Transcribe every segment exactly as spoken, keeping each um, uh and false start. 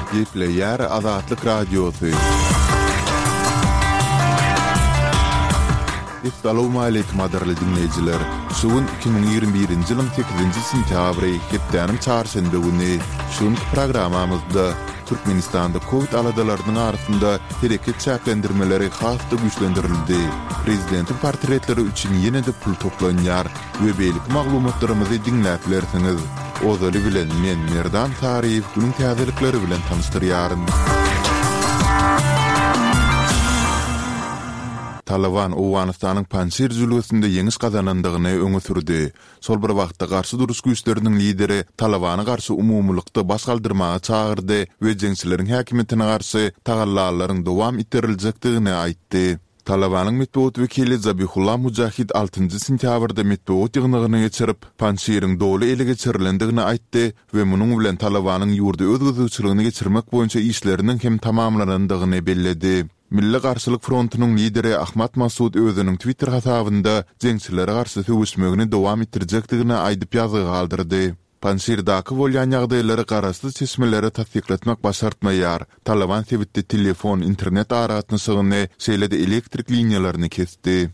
Gepleýär Azatlyk Radiosy. Essalawmaleýkim gadyrly diňleýjiler! Şu gün iki müň ýigrimi birinji ýylyň sekizinji sentýabry, hepdäniň çarşenbe güni. Şu günki programmamyzda Türkmenistanda kowid aladalarynyň arasynda hereket çäklendirmeleri has-da güýçlendirildi. Prezidentiň portretleri üçin ýene-de pul toplanýar we beýleki maglumatlarymyzy diňläp bilersiňiz. Ozaly bilen men Merdan Saryýew günüň täzelikleri bilen tanyşdyrýaryn. Talyban Owganystanyň Panjşir jülgesinde ýeňiş gazanandygyny öňe sürdi. Şol bir wagtda garşy duruş güýçleriniň lideri Talybana garşy umumylykda baş galdyrmaga çagyrdy we jeňçileriň häkimiýetine garşy tagallalaryň dowam etdiriljekdigini aýtdy. Talybanyň metbugat wekili Zabihullah Mujahid altynjy sentýabrda metbugat ýygnagyny geçirip, Panjşiriň doly ele geçirilendigini aýtdy we munuň bilen Talybanyň ýurdy öz gözegçiligine geçirmek boýunça işleriniň hem tamamlanandygyny belledi. Milli garşylyk frontunyň lideri Ahmad Masud özüniň Twitter hasabynda jeňçilere garşy söweşmegini dowam etdirjekdigini aýdyp ýazgy galdyrdy. Panjşirdaky bolýan ýagdaýlary garaşsyz çeşmelere tassyklatmak başartmaýar. Talyban sebitde telefon, internet aragatnaşygyny, şeýle-de elektrik liniýalaryny kesdi.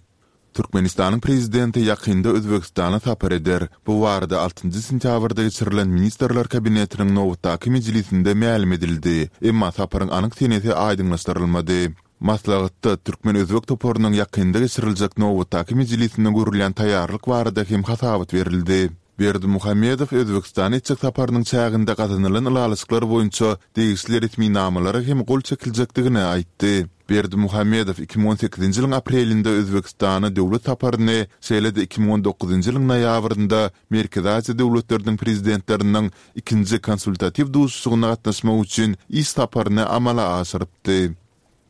Türkmenistanyň Prezidenti ýakynda Özbegistana sapar eder. Bu barada altynjy sentýabrda geçirilen Ministrler Kabinetiniň nobatdaky mejlisinde mälim edildi. Emma saparyň anyk senesi aýdyňlaşdyrylmady. Maslahatda türkmen-özbek toparynyň ýakynda geçiriljek nobatdaky mejlisine görülýän taýýarlyk barada hem hasabat berildi. Berdimuhamedow Özbegistana etjek saparynyň çäginde gazanylan ylalaşyklar boýunça degişli resminamalara hem gol çekiljekdigini aýtdy. Berdimuhamedow iki müň on sekizinji ýylyň aprelinde Özbegistana döwlet saparyny, şeýle-de iki müň on dokuzynjy ýylyň noýabrynda Merkezi Aziýa döwletleriniň Prezidentleriniň ikinji konsultatiw duşuşygyna gatnaşmak üçin iş saparyny amala aşyrypdy.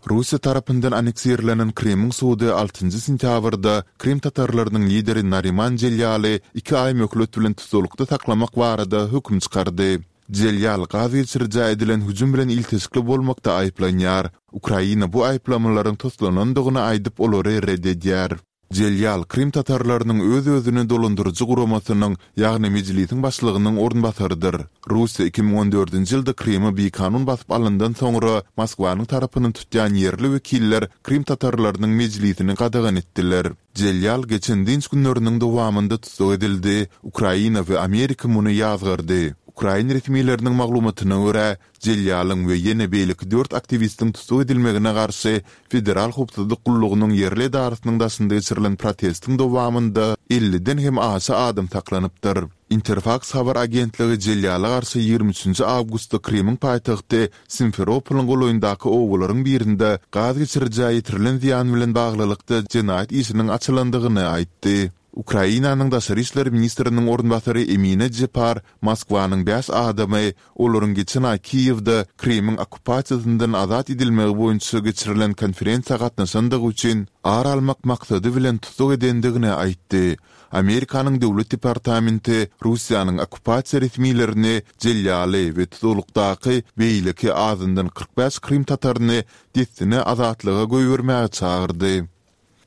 Russiýa tarapyndan anneksirlenen Krymyň sudy altynjy sentýabrda krym tatarlarynyň lideri Nariman Jelýaly iki aý möhlet bilen tussaglykda saklamak barada höküm çykardy. Jelýal gaz geçirijä edilen hüjüm bilen ilteşikli bolmakda aýyplanýar. Ukraina bu aýyplamalaryň toslanandygyny aýdyp, olary ret edýär. Jelýal krym tatarlarynyň öz-özüni dolandyryjy guramasynyň, ýagny Mejlisiň başlygynyň orunbasarydyr. Russiýa iki müň on dördünji ýylda Krymy bikanun basyp alandan soňra Moskwanyň tarapyny tutýan ýerli wekiller krym tatarlarynyň Mejlisini gadagan etdiler. Jelýal geçen dynç günleriniň dowamynda tussag edildi, Ukraina we Amerika muny ýazgardy. Ukrain resmileriniň maglumatyna görä, Jelýalyň we ýene beýleki dört aktiwistiň tussag edilmegine garşy Federal howpsuzlyk gullugynyň ýerli edarasynyň daşynda geçirilen protestiň dowamynda elliden hem aşa adam saklanypdyr. Interfaks habar agentligi Jelýala garşy ýigrimi üçünji awgustda Krymyň paýtagty Simferopolyň golaýyndaky obalaryň birinde gaz geçirijä ýetirilen zyýan bilen baglylykda jenaýat işiniň açylandygyny aýtdy. Ukrainanyň daşary işler ministriniň orunbasary Emine Jepar Moskwanyň bäş adamy olaryň geçen aý Kiýewde Krymyň okkupasiýasyndan azat edilmegi boýunça geçirilen konferensiýa gatnaşandygy üçin ar almak maksady bilen tussag edendigini aýtdy. Amerikanyň Döwlet departamenti Russiýanyň okkupasiýa resmilerini Jelýaly we tussaglykdaky beýleki azyndan kyrk bäş krym tataryny dessine azatlyga goýbermäge çagyrdy.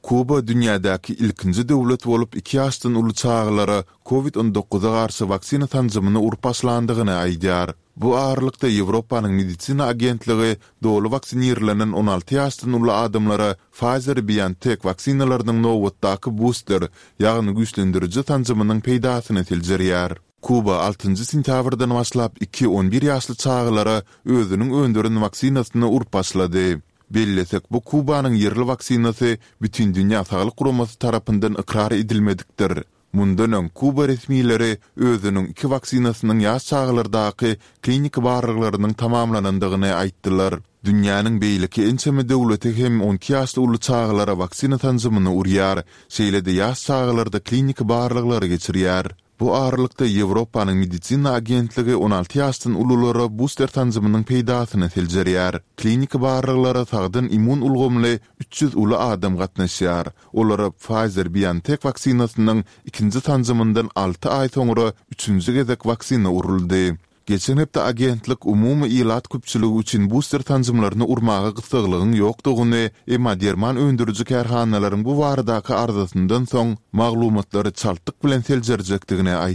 Kuba dünýädäki ilkinji döwlet bolup iki ýaşdan uly çagalara Covid on dokuza garşy waksina sanjymyny urup başlandygyny aýdýar. Bu aralykda Ýewropanyň medisina agentligi doly waksinirlenen on alty ýaşdan uly adamlara Pfizer-BioNTech waksinalarynyň nobatdaky buster, ýagny güýçlendiriji sanjymynyň peýdasyny seljerýär. Kuba altynjy sentýabrdan başlap iki on bir ýaşly çagalara özüniň öndüren waksinasyny urup başlady. Bellesek, bu Kubanyň ýerli waksinasy Bütindünýä Saglyk Guramasy tarapyndan ykrar edilmedikdir. Mundan öň, Kuba resmileri özüniň iki waksinasynyň ýaş çagalardaky kliniki barlaglarynyň tamamlanandygyny aýtdylar. Dünýäniň beýleki ençeme döwleti hem on iki ýaşly uly çagalara waksina sanjymyny urýar, şeýle-de ýaş çagalarda kliniki barlaglary geçirýär. Bu aralykda, Ýewropanyň medisina agentligi on alty ýaşdan ululara buster sanjymynyň peýdasyny seljerýär. Kliniki barlaglara sagdyn immun ulgamly üç ýüz uly adam gatnaşýar. Olara Pfizer-BioNTech waksinasynyň ikinji sanjymyndan alty aý soňra üçünji gezek waksina uruldy. Geçen hepde agentlik umumy ilat köpçüligi üçin buster sanjymlaryny urmaga gyssaglygyň ýokdugyny, emma derman öndüriji kärhanalaryň bu baradaky arzasyndan soň maglumatlary çaltlyk bilen seljerjekdigini aýtdy.